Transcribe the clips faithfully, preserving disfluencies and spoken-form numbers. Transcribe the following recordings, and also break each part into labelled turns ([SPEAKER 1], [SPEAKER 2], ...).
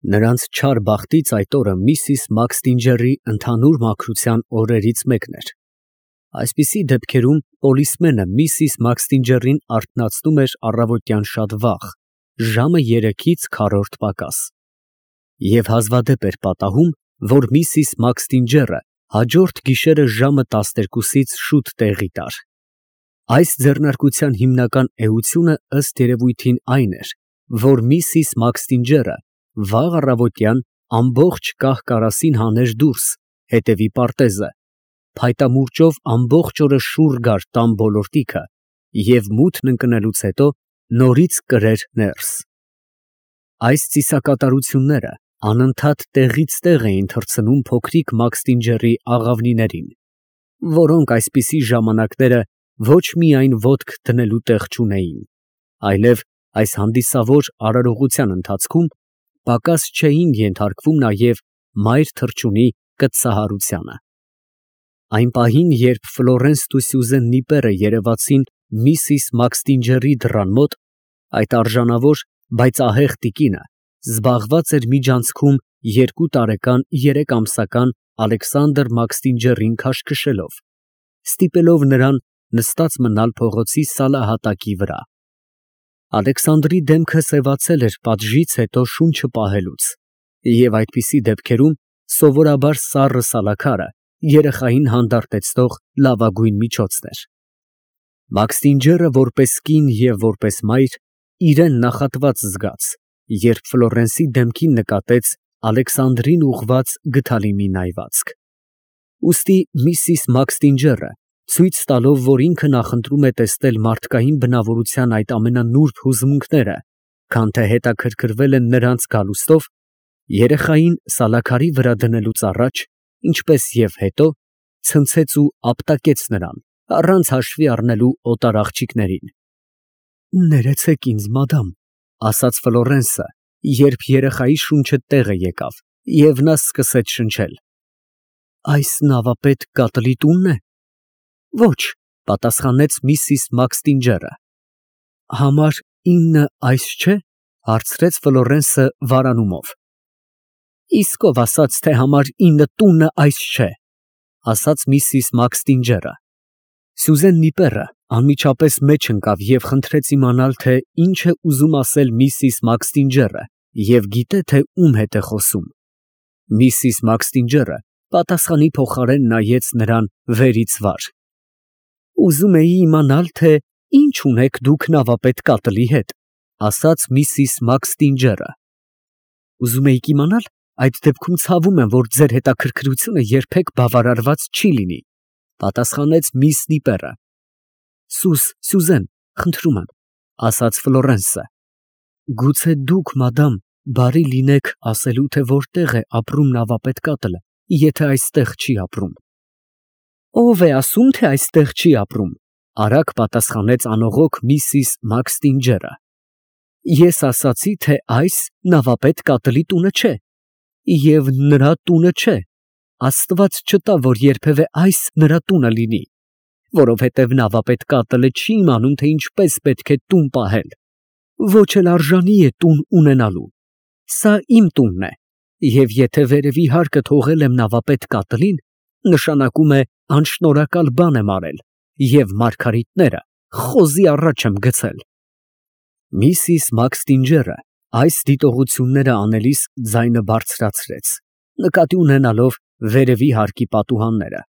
[SPEAKER 1] Նրանց չար բախտից այդ օրը միսիս Մաքսթինջերի ընդհանուր մաքրության օրերից մեկն էր։ Այսպիսի դեպքերում պոլիսմենը միսիս Մաքսթինջերին արթնացնում էր առավոտյան շատ վաղ, ժամը երեքից քառորդ պակաս, և հազվադեպ էր պատահում, որ միսիս Մաքսթինջերը հաջորդ գիշերը ժամը տասներկուսից շուտ տեղի տար։ Այս ձեռնարկության հիմնական էությունը ըստ երևույթին այն էր, որ միսիս Մաքսթինջերը վաղ առավոտյան ամբողջ կահ֊կարասին հաներ դուրս, հետևի պարտեզը, փայտամուրճով ամբողջ օրը շուռ գար տան ոլորտիքը և մութն ընկնելուց հետո նորից կրեր ներս։ Այս ծիսակատարությունները անընդհատ տեղից տեղ էին թռցնում փոքրիկ Մաքսթինջերի աղավնիներին, որոնք այսպիսի ժամանակները ոչ միայն ոտք դնելու տեղ չունեին, այլև այս հանդիսավոր արարողության ընթացքում պակաս չէին ենթարկվում նաև մայր թռչունի կտցահարությանը։ Այն պահին, երբ Ֆլորենսն ու Սյուզեն Նիպերը երևացին միսիս Մաքսթինջերի դռան մոտ, այդ արժանավոր, բայց ահեղ տիկինը զբաղված էր միջանցքում երկու տարեկան երեքամսական Ալեքսանդր Մաքսթինջերին քաշքշելով, ստիպելով նրան նստած մնալ փողոցի սալահատակի վրա։ Ալեքսանդրի դեմքը սևացել էր պատժից հետո շունչը պահելուց, և այդպիսի դեպքերում սովորաբար սառը սալաքարը երեխային հանդարտեցնող լավագույն միջոցն էր։ Մաքսթինջերը որպես կին և որպես մայր իրան նախատված զգաց, երբ Ֆլորենսի դեմքին նկատեց Ալեքսանդրին ուղղված գդալի մի նայվածք։ Ուստի միսիս Մաքսթինջերը, ցույց տալով, որ ինքը նախընտրում է տեսնել մարդկային բնավորության այդ ամենանուրբ հուզմունքները, քան թե հետաքրքրվել են նրանց գալուստով, երեխային սալաքարի վրա դնելուց առաջ, ինչպես և հետո, ցնցեց ու ապտակեց նրան, առանց հաշվի առնելու օտար աղջիկներին։ «Ներեցեք ինձ, մադամ», ֊ ասաց Ֆլորենսը, երբ երեխայի շունչը տեղը եկավ, և նա սկսեց շնչել։ «Այս նավապետ կատլի տունն է»։ «Ոչ», ֊ պատասխանեց միսիս Մաքսթինջերը։ «Համար ինը այս չէ՞, ֊ հարցրեց Ֆլորենսը վարանումով։ «Իսկ ով ասաց, թե համար ինը տունը այս չէ», ֊ ասաց միսիս Մաքսթինջերը։ Սյուզեն Նիպերը անմիջապես մեջ ընկավ և խնդրեց իմանալ, թե ինչ է ուզում ասել միսիս Մաքսթինջերը և գիտե, թե ում հետ է խոսում։ Միսիս Մաքսթինջերը պատասխանի փոխարեն նայեց նրան վերից վար։ «Ուզում էի իմանալ, թե ինչ ունեք դուք նավապետ կատլի հետ», ֊ ասաց միսիս Մաքսթինջերը։ «Ուզում էիք իմանալ, այդ դեպքում ցավում եմ, որ ձեր հետաքրքրությունը երբեք բավարարված չի լինի», ֊ պատասխանեց միս Նիպերը։ «Սուս, Սյուզեն, խնդրում եմ», ֊ ասաց Ֆլորենսը, «գուցե դուք, մադամ, բարի լինեք ասելու, թե որտեղ է ապրում նավապետ կատլը, եթե այստեղ չի ապրում»։ «Ո՞վ է ասում, թե այստեղ չի ապրում», ֊ արագ պատասխանեց անողոք միսիս Մաքսթինջերը։ «Ես ասացի, թե այս նավապետ կատլի տունը չէ, և նրա տունը չէ, Աստված չտա, որ երբևէ այս նրա տունը լինի, որովհետև նավապետ կատլը չի իմանում, թե ինչպես պետք է տուն պահել, ոչ էլ արժանի է տուն ունենալու։ Սա իմ տունն է, և եթե վերևի հարկը թողել եմ նավապետ կատլին, նշանակում է անշնորհակալ բան եմ արել, և մարգարիտները խոզի առաջ եմ գցել»։ Միսիս Մաքսթինջերը այս դիտողությունները անելիս ձայնը բարձրացրեց, նկատի ունենալով վերևի հարկի պատուհանները,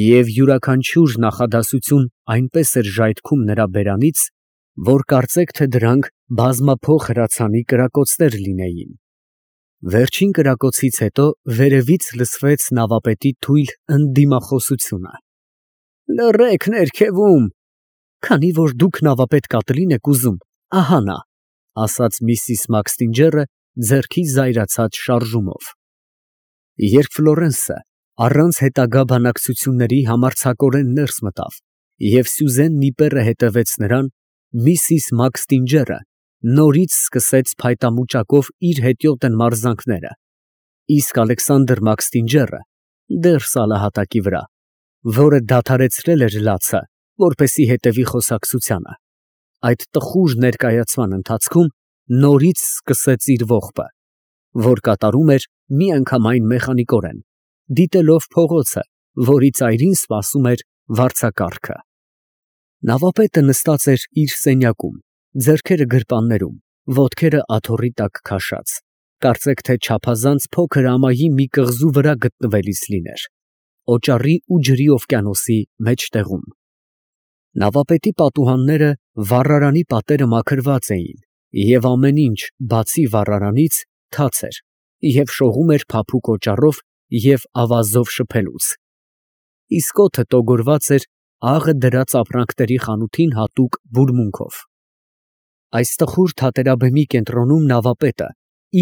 [SPEAKER 1] և յուրաքանչյուր նախադասություն այնպես էր ժայթքում նրա բերանից, որ կարծեք, թե դրանք բազմափոխ հրացանի կրակոցներ լինեին։ Վերջին կրակոցից հետո վերևից լսվեց նավապետի թույլ ընդդիմախոսությունը. «Լռեք ներքևում, քանի որ դուք նավապետ կատլին եք ուզում, ահա նա», ֊ ասաց միսիս Մաքսթինջերը ձեռքի զայրացած շարժումով։ Երբ Ֆլորենսը առանց հետագա բանակցությունների համարձակորեն ներս մտավ, և Սյուզեն Նիպերը հետևեց նրան, միսիս Մաքսթինջերը նորից սկսեց փայտամուճակով իր հետիոտն մարզանքները, իսկ Ալեքսանդր Մաքսթինջերը դեռ սալահատակի վրա, որը դադարեցրել էր լացը, որպեսզի հետևի խոսակցությանը, այդ տխուր ներկայացման ընթացքում նորից սկսեց իր ողբը։ որ կատարում էր միանգամայն մեխանիկորեն, դիտելով փողոցը, որի ծայրին սպասում էր վարձակառքը։ Նավապետը նստած էր իր սենյակում, ձեռքերը գրպաններում, ոտքերը աթոռի տակ քաշած, կարծեք թե չափազանց փոքր ամայի մի կղզու վրա գտնվելիս լիներ, օճառի ու ջրի օվկիանոսի մեջտեղում։ Նավապետի պատուհանները վառարանի պատերը մաքրված էին, և ամեն ինչ, բացի վառարանից, թաց էր և շողում էր փափուկ օճառով և ավազով շփելուց, իսկ օդը տոգորված էր աղը դրած ապրանքների խանութին հատուկ բուրմունքով։ Այս տխուր թատերաբեմի կենտրոնում նավապետը,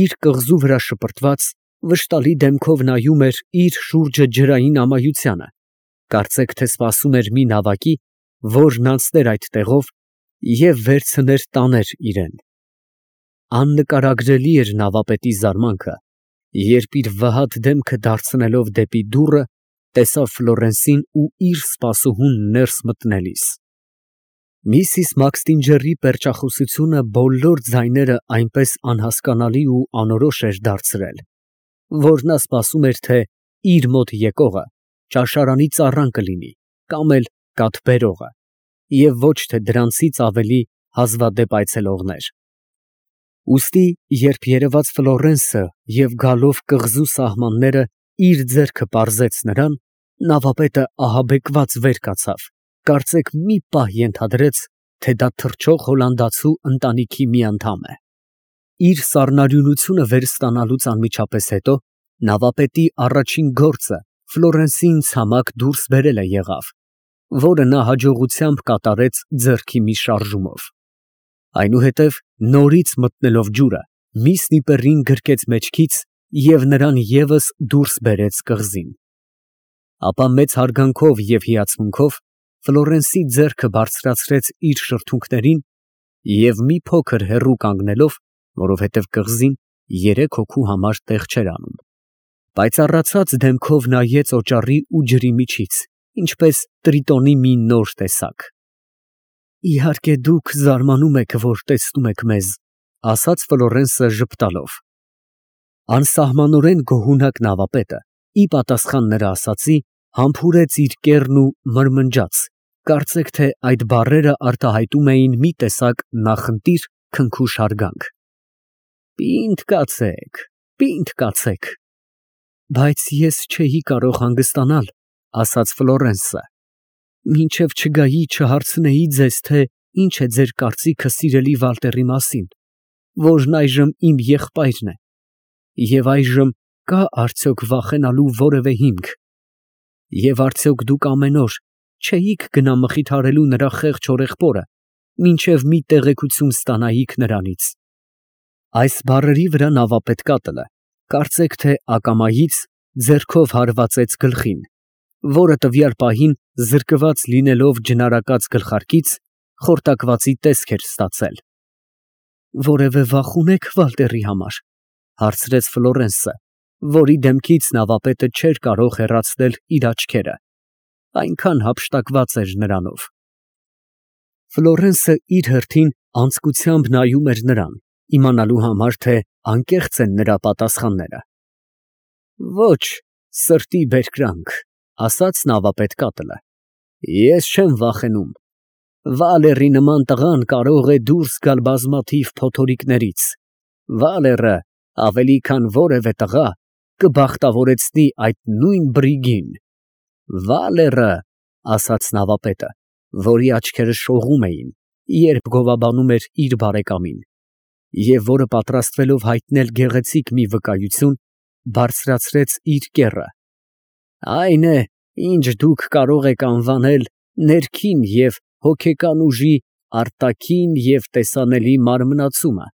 [SPEAKER 1] իր կղզու վրա շպրտված, վշտալի դեմքով նայում էր իր շուրջը ջրային ամայությանը, կարծեք թե սպասում էր մի նավակի, որն անցներ այդ տեղով և վերցներ տաներ իրան։ Աննկարագրելի էր նավապետի զարմանքը, երբ իր վհատ դեմքը դարձնելով դեպի դուռը, տեսավ Ֆլորենսին ու իր սպասուհուն ներս մտնելիս։ Միսիս Մաքսթինջերի պերճախոսությունը բոլոր ձայները այնպես անհասկանալի ու անորոշ էր դարձրել, որ նա սպասում էր, թե իր մոտ եկողը ճաշարանի ծառան կլինի կամ էլ կաթ բերողը, և ոչ թե դրանցից ավելի հազվադեպ այցելողներ։ Ուստի, երբ երևաց Ֆլորենսը և գալով կղզու սահմանները իր ձեռքը պարզեց նրան, նավապետը ահաբեկված վեր կացավ, կարծեք մի պահ ենթադրեց, թե դա թռչող հոլանդացու ընտանիքի մի անդամ է։ Իր սառնարյունությունը վերստանալուց անմիջապես հետո նավապետի առաջին գործը Ֆլորենսիին ցամաք դուրս բերելը եղավ, որը նա հաջողությամբ կատարեց ձեռքի մի շարժումով։ Այնուհետև նորից մտնելով ջուրը, մի սնիպերին գրկեց մեջքից և նրան ևս դուրս բերեց կղզին։ Ապա մեծ հարգանքով և հիացմունքով Ֆլորենսի ձեռքը բարձրացրեց իր շրթունքներին և մի փոքր հեռու կանգնելով, որովհետև կղզին երեք հոգու համար տեղ չէր անում, պայծառացած դեմքով նայեց օճառի ու ջրի միջից, ինչպես տրիտոնի մի նոր տեսակ։ «Իհարկե դուք զարմանում եք, որ տեսնում եք մեզ», ֊ ասաց Ֆլորենսը ժպտալով։ Անսահմանորեն գոհունակ նավապետը, ի պատասխան նրա ասածի, համբուրեց իր կեռն ու մրմնջաց, կարծեք թե այդ բառերը արտահայտում էին մի տեսակ նախընտիր քնքուշ հարգանք։ «Պինդ կացեք, պինդ կացեք»։ «Բայց ես չէի կարող հանգստանալ», ֊ ասաց Ֆլորենսը, «մինչև չգայի չհարցնեի ձեզ, թե ինչ է ձեր կարծիքը սիրելի Վալտերի մասին, որն այժմ իմ եղբայրն է, և այժմ կա՞ արդյոք վախենալու որևէ հիմք, և արդյոք դուք ամեն օր չէիք գնա մխիթարելու նրա խեղճ հորեղբորը, մինչև մի տեղեկություն ստանայիք նրանից»։ Այս բառերի վրա նավապետ կատլը, կարծեք թե ակամայից, ձեռքով հարվածեց գլխին, որը տվյալ պահին զրկված լինելով ջնարակած գլխարկից, խորտակվածի տեսք էր ստացել։ «Որևէ վախ ունե՞ք Վալտերի համար, ֊ հարցրեց Ֆլորենսը, որի դեմքից նավապետը չէր կարող հեռացնել իր աչքերը, այնքան հափշտակված էր նրանով։ Ֆլորենսը իր հերթին անձկությամբ նայում էր նրան, իմանալու համար, թե անկեղծ են նրա պատասխանները։ «Ոչ, սրտի բերկրանք», ֊ ասաց նավապետ կատլը, «ես չեմ վախենում։ Վալերի նման տղան կարող է դուրս գալ բազմաթիվ փոթորիկներից։ Վալերը, ավելի քան որևէ տղա, կբախտավորեցնի այդ նույն բրիգին։ Վալերը, ֊ ասաց նավապետը, որի աչքերը շողում էին, երբ գովաբանում էր իր բարեկամին, և որը պատրաստվելով հայտնել գեղեցիկ մի վկայություն, բարձրացրեց իր կեռը, ֊ այն է, ինչ դուք կարող եք անվանել ներքին և հոգեկան ուժի արտաքին և տեսանելի մարմնացումը,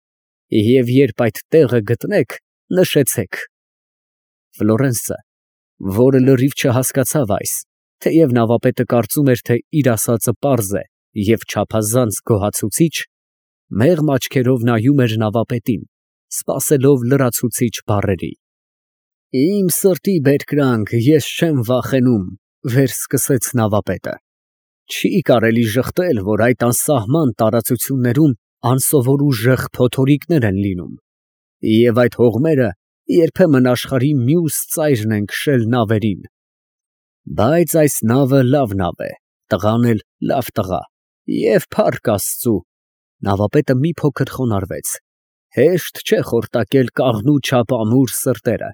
[SPEAKER 1] և երբ այդ տեղը գտնեք, նշեցեք։ Ֆլորենսը, որը լրիվ չհասկացավ այս, թեև նավապետը կարծում էր, թե իր ասածը պարզ է և չափազանց գոհացուցիչ, մեղմ աչքերով նայում էր նավապետին, սպասելով լրացուցիչ բառերի։ «Իմ սրտի բերկրանք, ես չեմ վախենում», ֊ վերսկսեց նավապետը։ «Չի կարելի ժխտել, որ այդ անսահման տարածություններում անսովոր ուժեղ փոթորիկներ են լինում, և այդ հողմերը երբեմն աշխարհի մյուս ծայրն են քշել նավերին։ Բայց այս նավը լավ նավ է, տղան էլ լավ տղա, և փառք Աստծու։ Նավապետը մի փոքր խոնարհվեց. հեշտ չէ խորտակել կաղնու չափ ամուր սրտերը,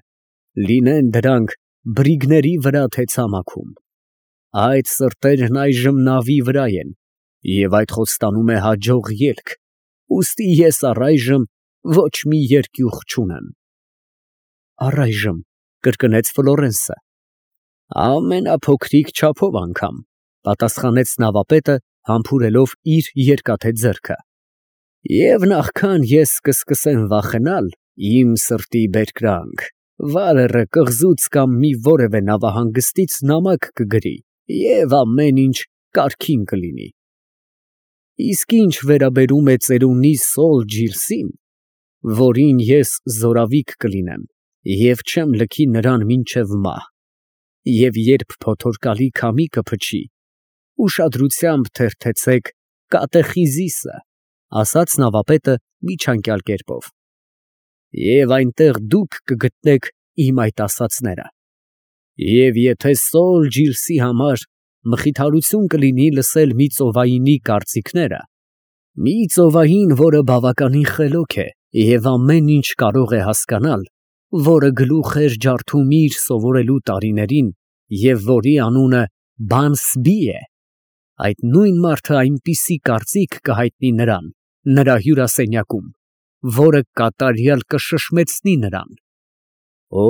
[SPEAKER 1] լինեն դրանք բրիգների վրա թե ցամաքում։ Այդ սրտերն այժմ նավի վրա են, և այդ խոստանում է հաջող ելք, ուստի ես առայժմ ոչ մի երկյուղ չունեմ։ Առայժմ, կրկնեց Ֆլորենսը։ Ամենափոքրիկ չափով անգամ, պատասխանեց նավապետը, համբուրելով իր երկաթե ձեռքը։ Եվ նախքան ես կսկսեմ վախենալ, իմ սրտի բերկրանք, վալերը կղզուց կամ մի որևէ նավահանգստից նամակ կգրի, և ամեն ինչ կարգին կլինի։ Իսկ ինչ վերաբերում է ծերունի Սոլ Ջիրսին, որին ես զորավիկ կլինեմ, և չեմ լքի նրան մինչև մահ, և երբ փոթորկալի քամի կփչի, ուշադրությամբ թերթեցեք կատեխիզիսը, ասաց նավապետը միջանկյալ կերպով, և այնտեղ դուք կգտնեք իմ այդ ասածները։ Եվ եթե Սոլ Ջիրսի համար մխիթարություն կլինի լսել մի ծովայինի կարծիքները, մի ծովային, որը բավականին խելոք է և ամեն ինչ կարող է հասկանալ, որը գլուխ էր ջարդում իր սովորելու տարիներին և որի անունը Բանսբի է, այդ նույն մարդը այնպիսի կարծիք կհայտնի նրան, նրա հյուրասենյակում, որը կատարյալ կշշմեցնի նրան։ Օ,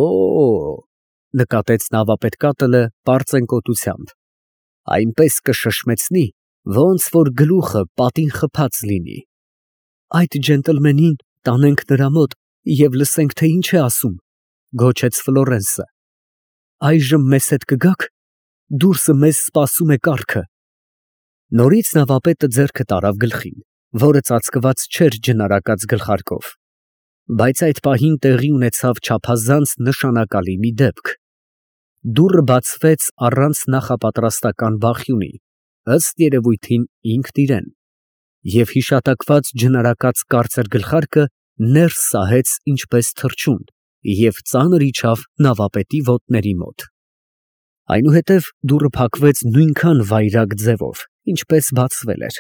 [SPEAKER 1] նկատեց նավապետկատելը պարծենկոտությամբ, այնպես կշշմեցնի, ոնց որ գլուխը պատին խփած լինի։ Այդ ջենտլմենին տանենք նրա մոտ և լսենք, թե ինչ է ասում, գոչեց Ֆլորենսը։ Այժմ մեզ հետ կգա՞ք, դուրսը մեզ սպասում է կառքը։ Նորից նավապետը ձեռքը տարավ գլխին, որը ծածկված չէր ջնարակած գլխարկով, բայց այդ պահին տեղի ունեցավ չափազանց նշանակալի մի դեպք։ Դուռը բացվեց առանց նախապատրաստական բախյունի, ըստ երևույթին ինքն իրեն, և հիշատակված ջնարակած կարծր գլխարկը ներս սահեց ինչպես թռչուն և ծանր իջավ նավապետի ոտների մոտ։ Այնուհետև դուռը փակվեց նույնքան վայրագ ձևով, ինչպես բացվել էր,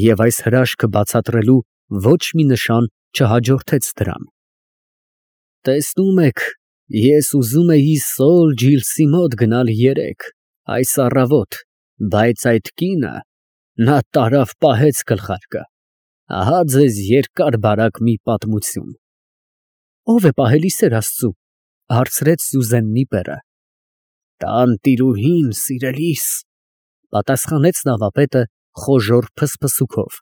[SPEAKER 1] և այս հրաշքը բացատրելու ոչ մի նշան չհաջորդեց դրան։ Տեսնում եք, ես ուզում էի Սոլ Ջիրսի մոտ գնալ երեկ, այս առավոտ, բայց այդ կինը, նա տարավ պահեց գլխարկը, ահա ձեզ երկար֊բարակ մի պատմություն։ Ո՞վ է պահել, ի սեր Աստծու, հարցրեց Սյուզեննի նիպերը։ Տանտիրուհին, սիրելիս, պատասխանեց նավապետը խոժոռ փսփսուքով,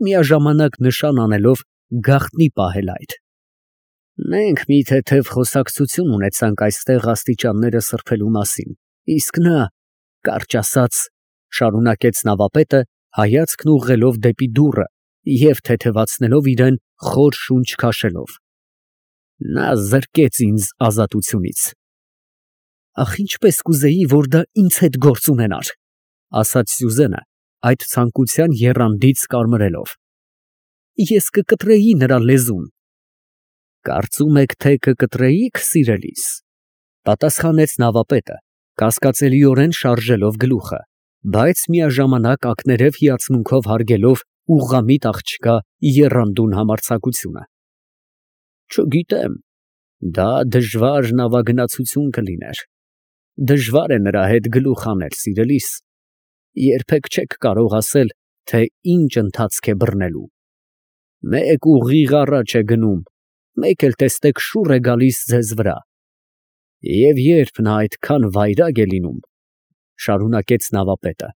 [SPEAKER 1] միաժամանակ նշան անելով գաղտնի պահել այդ։ Մենք մի թեթև խոսակցություն ունեցանք այստեղ աստիճանները սրբելու մասին, իսկ նա, կարճ ասած, շարունակեց նավապետը, հայացքն ուղղելով դեպի դուռը և թեթևացնելով իրեն խոր շունչ քաշելով, նա զրկեց ինձ ազատությունից։ Ախ, ինչպես կուզեի, որ դա ինձ հետ գործ ունենար, ասաց Սյուզենը, այդ ցանկության եռանդից կարմրելով։ Ես կկտրեի նրա լեզուն։ Կարծում եք, թե կկտրեիք, սիրելիս, պատասխանեց նավապետը, կասկածելիորեն շարժելով գլուխը, բայց միաժամանակ ակներև հիացմունքով հարգելով ուղղամիտ աղջկա եռանդուն համարձակությունը։ Չգիտեմ, դա դժվար նավագնացություն կլիներ, դժվար է նրա հետ գլուխ անել, սիրելիս, երբեք չեք կարող ասել, թե ինչ ընթացք է բռնելու։ Մեկ ուղիղ առաջ է գնում, մեկ էլ տեսնեք շուռ է գալիս ձեզ վրա։ Եվ երբ նա այդքան վայրագ է լինում, շարունակեց նավապետը,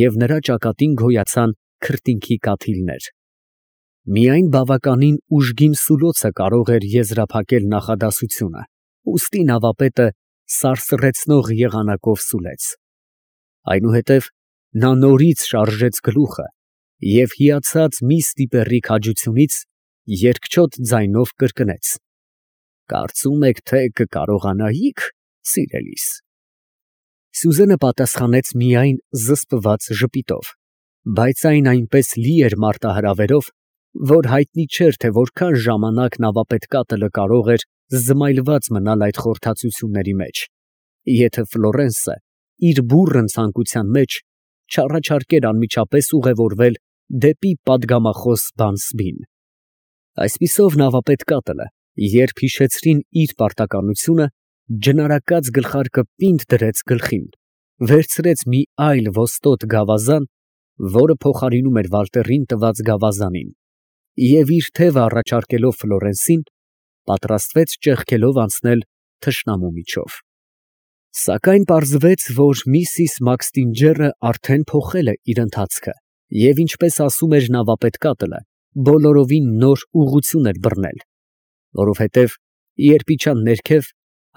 [SPEAKER 1] և նրա ճակատին գոյացան քրտինքի կաթիլներ, միայն բավականին ուժգին սուլոցը կարող էր եզրափակել նախադասությունը, ուստի նավապետը սարսռեցնող եղանակով սուլեց։ Այնուհետև նա նորից շարժեց գլուխը և հիացած մի ստիպեռի քաջությունից երկչոտ ձայնով կրկնեց. Կարծում եք, թե կկարողանայի՞ք, սիրելիս։ Սյուզենը պատասխանեց միայն զսպված ժպիտով, բայց այն այնպես լի էր մարտահրավերով, որ հայտնի չէր, թե որքան ժամանակ նավապետկատելը կարող էր զմայլված մնալ այդ խորհրդածությունների մեջ, եթե Ֆլորենսը իր բուռն ցանկության մեջ չառաջարկեր անմիջապես ուղևորվել դեպի պատգամախոս Բանսբին։ Այսպիսով նավապետկատելը, երբ հիշեցրին իր պարտականությունը, ջնարակած գլխարկը պինդ դրեց գլխին, վերցրեց մի այլ ոստոտ գավազան, որը փոխարինում էր Վալտերին տված գավազանին, և իր թևը առաջարկելով Ֆլորենսին, պատրաստվեց ճեղքելով անցնել թշնամու միջով։ Սակայն պարզվեց, որ միսիս Մաքսթինջերը արդեն փոխել է իր ընթացքը և, ինչպես ասում էր նավապետկատելը, բոլորովին նոր ուղղություն էր բռնել, որովհետև երբ իջան ներքև,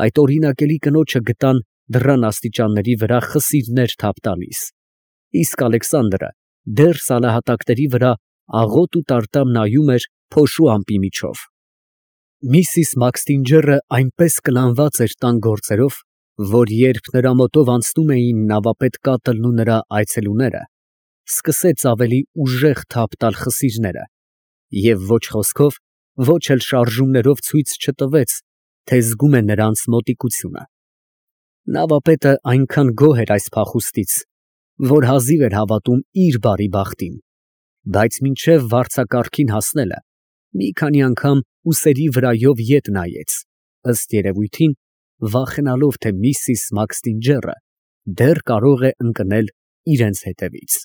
[SPEAKER 1] այդ օրինակելի կնոջը գտան դռան աստիճանների վրա խսիրներ թափ տալիս, իսկ Ալեքսանդրը դեռ սալահատակների վրա աղոտ ու տարտամ նայում էր փոշու ամպի միջով։ Միսիս Մաքսթինջերը այնպես կլանված էր տան գործերով, որ երբ նրա մոտով անցնում էին նավապետկատլն ու նրա այցելուները, սկսեց ավելի ուժեղ թափ տալ խսիրները և ոչ խոսքով, ոչ էլ շարժումներով ցույց չտվեց, թե զգում է նրանց մոտիկությունը։ Նավապետը այնքան գոհ էր այս փախուստից, որ հազիվ էր հավատում իր բարի բախտին, բայց մինչև վարձակարգին հասնելը մի քանի անգամ ուսերի վրայով ետ նայեց, ըստ երևույթին վախենալով, թե միսիս Մաքսթինջերը դեռ կարող է ընկնել իրենց հետևից։